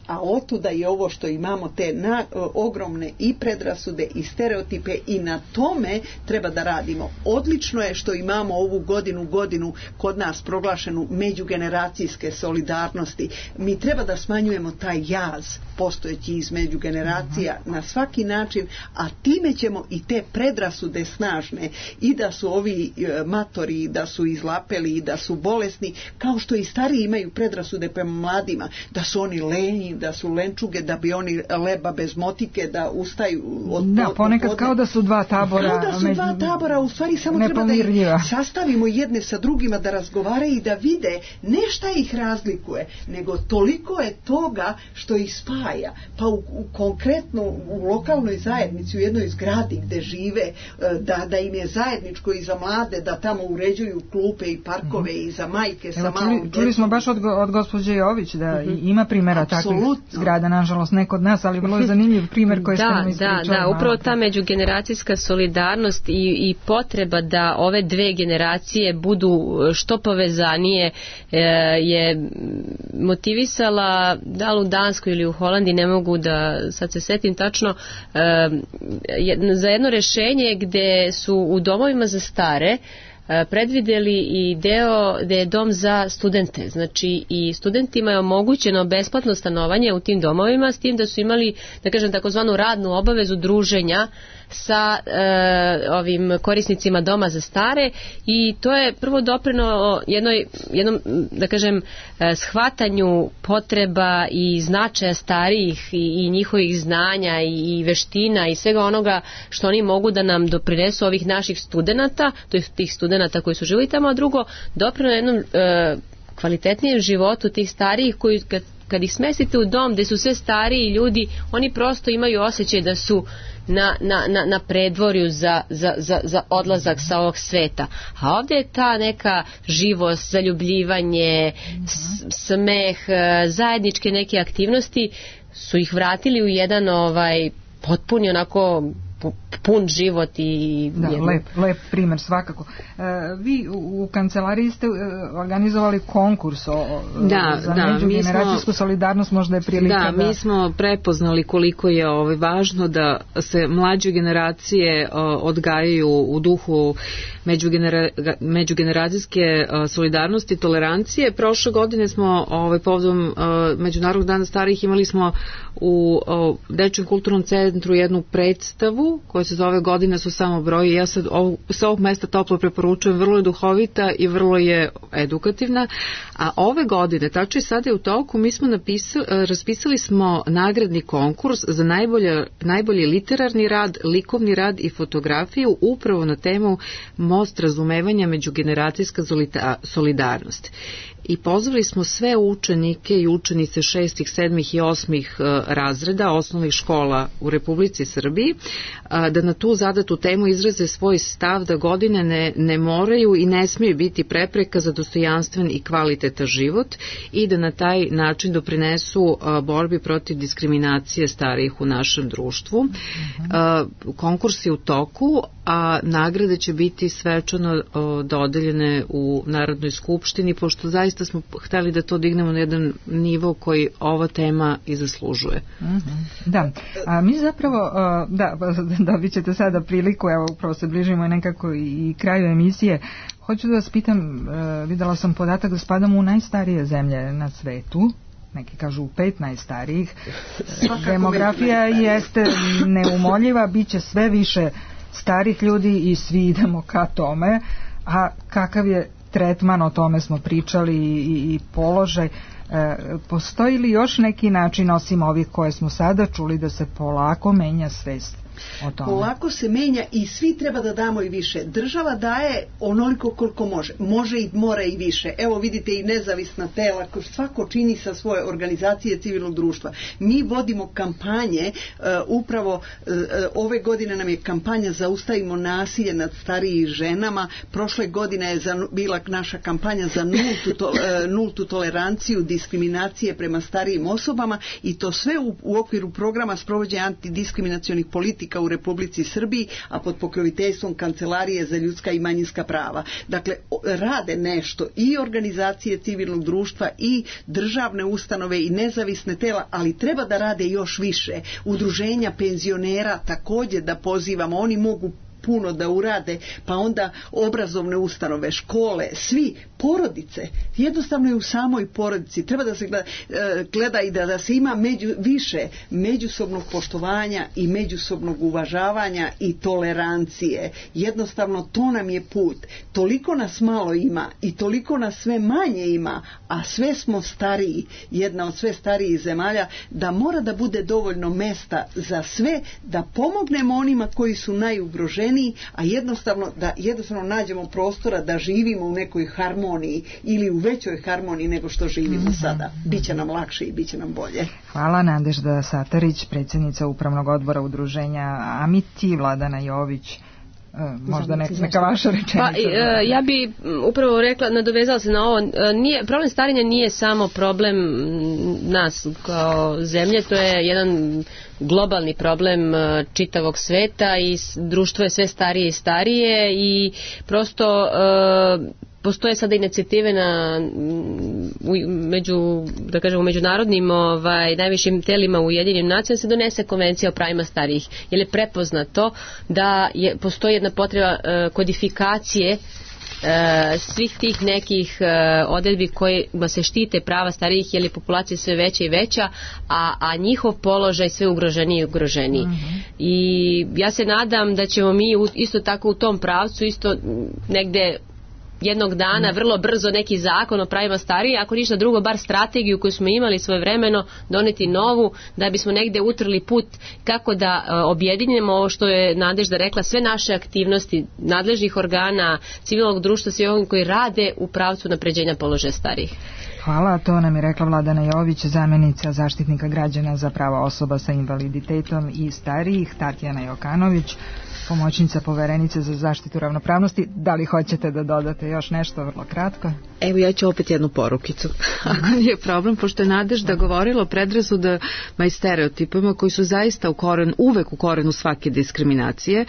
A otuda je ovo što imamo te na, o, ogromne i predrasude i stereotipe i na tome treba da radimo. Odlično je što imamo ovu godinu godinu kod nas proglašenu međugeneracijske solidarnosti. Mi treba da smanjujemo taj jaz postojeći između generacija uh-huh. na svaki način, a time ćemo i te predrasude snažne i da su ovi e, matori, da su izlapeli, da su bolesni, kao što i stariji imaju predrasude prema mladima, da su oni lenji, da su lenčuge, da bi oni leba bez motike, da ustaju od da, ponekad od kao da su dva tabora. Kao da su dva tabora, u stvari samo treba da ih sastavimo jedne sa drugima, da razgovaraju i da vide ne šta ih razlikuje, nego toliko je toga što ih spaja. Pa u, u konkretno u lokalnoj zajednici, u jednoj zgradi gde žive, da, da im je zajedničko i za mlade, da tamo uređuju klupe i parkove mm-hmm. i za majke sa Evo, malom čuli, čuli smo baš od, od gospođe Jović da mm-hmm. ima primjera takvih zgrada, nažalost ne kod nas, ali vrlo je zanimljiv primjer koji ste nam ispričali. Da, da, upravo ta međugeneracijska solidarnost i, i potreba da ove dve generacije budu što povezanije e, je motivisala, da li u Danskoj ili u Holandiji, ne mogu da sad se setim tačno, e, za jedno rešenje gde su u domovima za stare predvideli i deo da je dom za studente. Znači i studentima je omogućeno besplatno stanovanje u tim domovima, s tim da su imali, da kažem, takozvanu radnu obavezu druženja sa e, ovim korisnicima doma za stare i to je prvo doprino jednoj, jednom, da kažem, shvatanju potreba i značaja starijih i, i njihovih znanja i, i veština i svega onoga što oni mogu da nam doprinesu ovih naših studenata, to je tih studenata koji su živjeli tamo, a drugo doprino jednom e, kvalitetnijem životu tih starijih koji kad, kad ih smestite u dom gde su sve stariji ljudi, oni prosto imaju osjećaj da su na, na, na, na predvorju za, za, za, za odlazak sa ovog sveta. A ovde je ta neka živost, zaljubljivanje, smeh, zajedničke neke aktivnosti su ih vratili u jedan ovaj potpuni onako pun život i da, jedno... lep, lep primer svakako. E, vi u, u kancelariji ste organizovali konkurs o, da, za da, međugeneracijsku smo, solidarnost, možda je prilika da, da... mi smo prepoznali koliko je ovaj, važno da se mlađe generacije o, odgajaju u duhu međugenera, međugeneracijske o, solidarnosti i tolerancije. Prošle godine smo ovaj, povodom Međunarodnog dana starijih imali smo u o, Dečijem kulturnom centru jednu predstavu koja se zove Godine su samo broji. Ja sad ovu, sa ovog mesta toplo preporučujem, vrlo je duhovita i vrlo je edukativna. A ove godine, tačno i sada je u toku, mi smo napisali, raspisali smo nagradni konkurs za najbolje, najbolji literarni rad, likovni rad i fotografiju upravo na temu Most razumevanja međugeneracijska solidarnost. I pozvali smo sve učenike i učenice šestih, sedmih i osmih razreda osnovnih škola u Republici Srbiji da na tu zadatu temu izraze svoj stav da godine ne, ne moraju i ne smiju biti prepreka za dostojanstven i kvalitetan život i da na taj način doprinesu borbi protiv diskriminacije starijih u našem društvu. Uh-huh. Konkurs je u toku, a nagrade će biti svečano dodeljene u Narodnoj skupštini, pošto zaista smo hteli da to dignemo na jedan nivo koji ova tema i zaslužuje. Uh-huh. Da, a mi zapravo, da, dobit ćete sada priliku, evo upravo se bližimo nekako i kraju emisije. Hoću da vas pitam, videla sam podatak da spadamo u najstarije zemlje na svetu, neki kažu u pet najstarijih. Demografija jeste neumoljiva, bit će sve više starih ljudi i svi idemo ka tome, a kakav je tretman, o tome smo pričali i, i položaj. E, postoji li još neki način osim ovih koje smo sada čuli da se polako menja svest o tome? Polako se menja i svi treba da damo i više. Država daje onoliko koliko može. Može i mora i više. Evo vidite i nezavisna tela koje svako čini sa svoje organizacije civilnog društva. Mi vodimo kampanje, uh, upravo uh, ove godine nam je kampanja Zaustavimo nasilje nad starijim ženama. Prošle godine je za, bila naša kampanja za nultu, to, uh, nultu toleranciju diskriminacije prema starijim osobama i to sve u, u okviru programa sprovođenja antidiskriminacionih politika u Republici Srbiji, a pod pokroviteljstvom Kancelarije za ljudska i manjinska prava. Dakle, rade nešto i organizacije civilnog društva i državne ustanove i nezavisne tela, ali treba da rade još više. Udruženja penzionera također da pozivamo, oni mogu puno da urade, pa onda obrazovne ustanove, škole, svi, porodice, jednostavno je u samoj porodici, treba da se gleda, gleda i da, da se ima među, više međusobnog poštovanja i međusobnog uvažavanja i tolerancije. Jednostavno to nam je put. Toliko nas malo ima i toliko nas sve manje ima, a sve smo stariji, jedna od sve starijih zemalja, da mora da bude dovoljno mesta za sve, da pomognemo onima koji su najugroženiji, a jednostavno da jednostavno nađemo prostora da živimo u nekoj harmoniji ili u većoj harmoniji nego što živimo mm-hmm. sada. Biće nam lakše i biće nam bolje. Hvala. Nadežda Satarić, predsjednica Upravnog odbora udruženja Amiti, Vladana Jović. Možda nek, neka vaša rečenica. Pa, ja bi upravo rekla, nadovezala se na ovo, nije, problem starenja nije samo problem nas kao zemlje, to je jedan globalni problem čitavog sveta i društvo je sve starije i starije i prosto postoje sada inicijative na u, među, da kažem, u međunarodnim ovaj, najvišim telima Ujedinjenim nacijama se donese konvencija o pravima starijih, jer je prepoznato da je, postoji jedna potreba uh, kodifikacije Uh, svih tih nekih uh, odredbi kojima se štite prava starijih, jer je populacija sve veća i veća, a, a njihov položaj sve ugroženiji i ugroženiji. Mm-hmm. I ja se nadam da ćemo mi u, isto tako u tom pravcu isto negde jednog dana vrlo brzo neki zakon o pravima starijih, ako ništa drugo, bar strategiju koju smo imali svojevremeno, doneti novu, da bismo negde utrli put kako da objedinimo ovo što je Nadežda rekla, sve naše aktivnosti nadležnih organa, civilnog društva, svi ovim koji rade u pravcu napređenja položaja starijih. Hvala, to nam je rekla Vladana Jović, zamjenica zaštitnika građana za prava osoba sa invaliditetom i starijih, Tatjana Jokanović, pomoćnica poverenice za zaštitu ravnopravnosti. Da li hoćete da dodate još nešto, vrlo kratko? Evo, ja ću opet jednu porukicu. Je problem, pošto je Nadežda govorila o predrasudama i stereotipima koji su zaista u koren, uvek u korenu svake diskriminacije.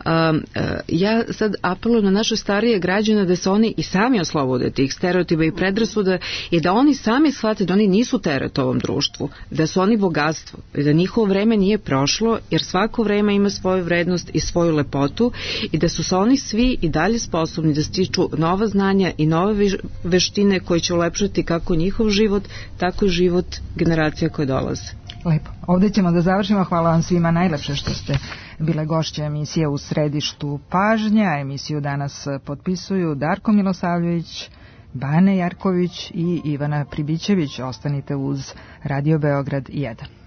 Um, uh, ja sad apelujem na naše starije građane da se oni i sami oslobode tih stereotipa i predrasuda i da oni sami shvate da oni nisu teret ovom društvu, da su oni bogatstvo i da njihovo vreme nije prošlo, jer svako vreme ima svoju vrednost i svoju lepotu i da su se oni svi i dalje sposobni da stiču nova znanja i nove veštine koje će ulepšati kako njihov život, tako i život generacija koje dolaze. Lepo. Ovdje ćemo da završimo. Hvala vam svima najlepše što ste bile gošće emisije U središtu pažnja. Emisiju danas potpisuju Darko Milosavljević, Bane Jarković i Ivana Pribićević. Ostanite uz Radio Beograd jedan.